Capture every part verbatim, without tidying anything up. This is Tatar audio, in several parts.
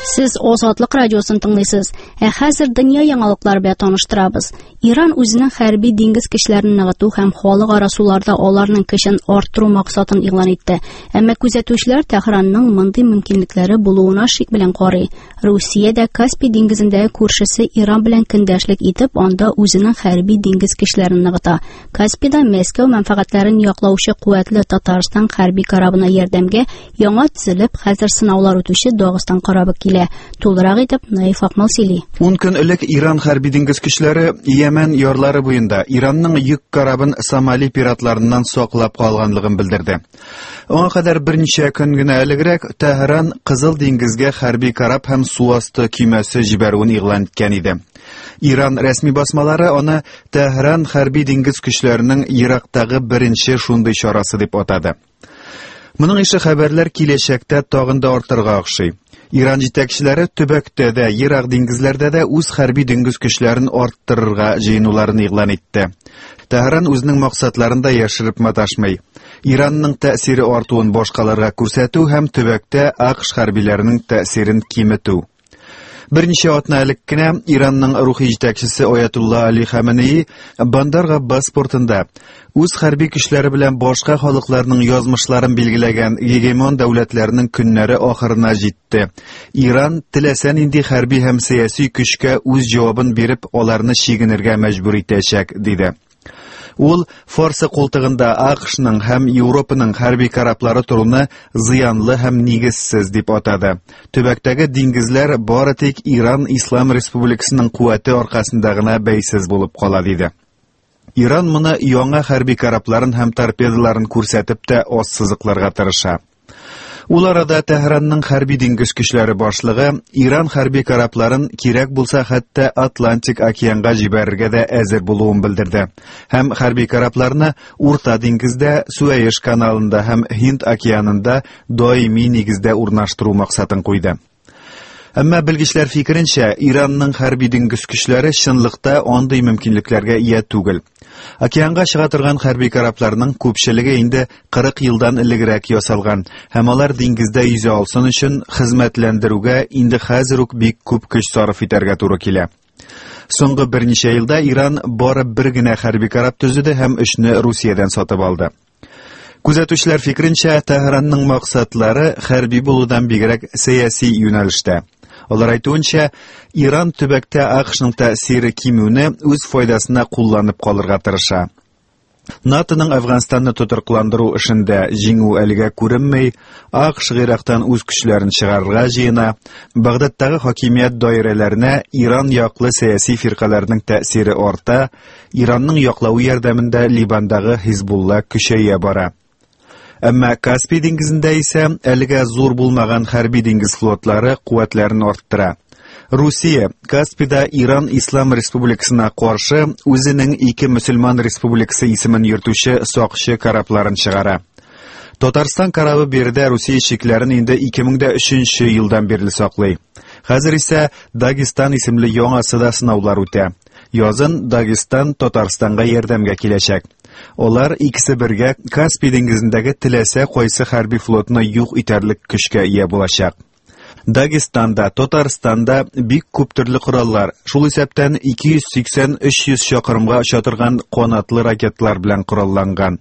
Сез Озатлык радиосын тыңлыйсыз. Ә хәзер дөнья яңалыклары белән таныштырабыз. Иран үзенең хәрби диңгез көчләрен ныгыту һәм халыкара суларда аларның көчен арттыру максатын игълан итте. Әмма күзәтүчеләр Тәһранның мондый мөмкинлекләре булуына шик белән карый. Русия дә Каспий диңгезендәге күршесе Иран белән көндәшлек итеп, анда үзенең хәрби диңгез көчләрен ныгыта. Каспийда Мәскәү мәнфәгатьләрен яклаучы куәтле Татарстан хәрби корабына ярдәмгә яңа төзелеп, хәзер сынаулар үтүче Дагыстан корабы килә. Тулырак итеп Наиф Акмал сөйли. Ун көн элек Иран хәрби диңгез көчләре Йәмән ярлары буенда Иранның йөк корабын Сомали пиратларыннан саклап калганлыгын белдерде. Аңа кадәр берничә көн генә элегрәк Тәһран Кызыл диңгезгә хәрби кораб һәм су асты көймәсе җибәрүен игълан иткән иде. Иран рәсми басмалары аны Тәһран хәрби диңгез көчләренең Ирактагы беренче шундый чарасы дип атады. Моның ише хәбәрләр киләчәктә тагын да артырга охшый. Иран җитәкчеләре төбәктә дә, ерак диңгезләрдә дә үз хәрби диңгез көчләрен арттырырга җыенуларын игълан итте. Тәһран үзенең максатларын да яшереп маташмый. Иранның тәэсире артуын башкаларга күрсәтү һәм төбәктә АКШ хәрбиләренең тәэсирен киметү. Берничә атна элек кенә Иранның рухи җитәкчесе Аятулла Али Хаменеи Бандар Габбас портында үз хәрби көчләре белән башка халыкларның язмышларын билгеләгән гегемон дәүләтләрнең көннәре ахырына җитте. Иран теләсә нинди хәрби һәм сәяси көчкә үз җавабын биреп, аларны чигенергә мәҗбүр итәчәк, диде. Ул Фарсы култыгында АКШның һәм Европаның хәрби кораблары торуны зыянлы һәм нигезсез дип атады. Төбәктәге диңгезләр бары тик Иран Ислам Республикасының куәте аркасында гына бәйсез булып кала, диде. Иран моны яңа хәрби корабларын һәм торпедаларын күрсәтеп тә ассызыкларга тырыша. Ул арада Тәһранның хәрби диңгез көчләре башлыгы Иран хәрби корабларын кирәк булса хәтта Атлантик океанга җибәрергә дә әзер булуын белдерде. Һәм хәрби корабларны Урта диңгездә, Суэйш каналында һәм Һинд океанында даими нигездә урнаштыру максатын куйды. Әмма белгечләр фикеренчә, Иранның хәрби диңгез көчләре чынлыкта андый мөмкинлекләргә ия түгел. Океанга чыга торган хәрби корабларның күпчелеге инде кырык елдан элегрәк ясалган һәм алар диңгездә йөзә алсын өчен хезмәтләндерүгә инде хәзер үк бик күп көч сарыф итәргә туры килә. Соңгы берничә елда Иран бары бер генә хәрби кораб төзеде һәм өчне Русиядән сатып алды. Күзәтүчеләр фикеренчә, Тәһранның максатлары хәрби булудан бигрәк сәяси юнәлештә. Алар әйтүенчә, Иран төбәктә АКШның тәэсире кимүне үз файдасына кулланып калырга тырыша. НАТОның Әфганстанны тотрыкландыру эшендә җиңү әлегә күренми, АКШ Ирактан үз көчләрен чыгарырга җыена, Багдадтагы хакимият даирәләренә Иран яклы сәяси фиркаләрнең тәэсире арта, Иранның яклавы ярдәмендә Ливандагы Хизбулла көчәя бара. Әмма Каспий диңгезендә исә әлегә зур булмаган хәрби диңгез флотлары куәтләрен арттыра. Русия Каспийда Иран Ислам Республикасына каршы үзенең ике мөселман республикасы исемен йөртүче сакчы корабларын чыгара. Татарстан корабы биредә Русия чикләрен инде ике мең дә өченче елдан бирле саклый. Хәзер исә Дагестан исемле яңасы да сынаулар үтә. Язын Дагестан Татарстанга ярдәмгә киләчәк. Алар икесе бергә Каспий диңгезендәге теләсә кайсы хәрби флотны юк итәрлек көчкә ия булачак. Дагестанда, Татарстанда бик күп төрле кораллар, шул исәптән ике йөз сиксән өч йөз чакрымга оча торган канатлы ракетлар белән коралланган.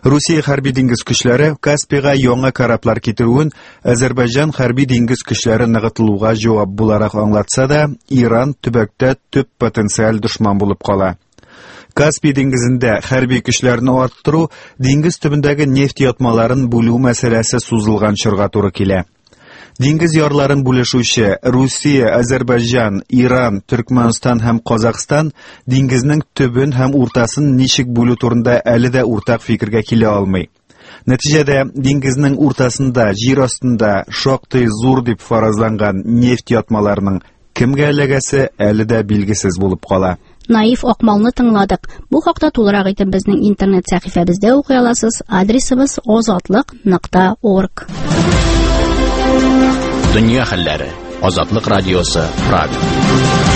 Русия хәрби диңгез көчләре Каспийга яңа кораблар китерүен Азәрбайҗан хәрби диңгез көчләре ныгытылуга җавап буларак аңлатса да, Иран төбәктә төп потенциаль дошман булып кала. Каспий диңгезендә хәрби көчләрне арттыру, диңгез төбендәге нефть ятмаларын бүлү мәсьәләсе сузылган чорга туры килә. Диңгез ярларын бүлешүче Русия, Азәрбайҗан, Иран, Төркмәнстан һәм Казахстан диңгезнең төбен һәм уртасын ничек бүлү турында әле дә уртак фикергә килә алмый. Нәтиҗәдә диңгезнең уртасында, җир астында шактый зур дип фаразланган нефть ятмаларының кемгә эләгәсе әле дә билгесез булып кала. Наиф Акмалны тыңладык. Бу хакта тулырак итеп безнең интернет сәхифәбездә укый аласыз. Адресыбыз озатлык нокта орг. Дөнья хәлләре. Азатлык радиосы, Прага.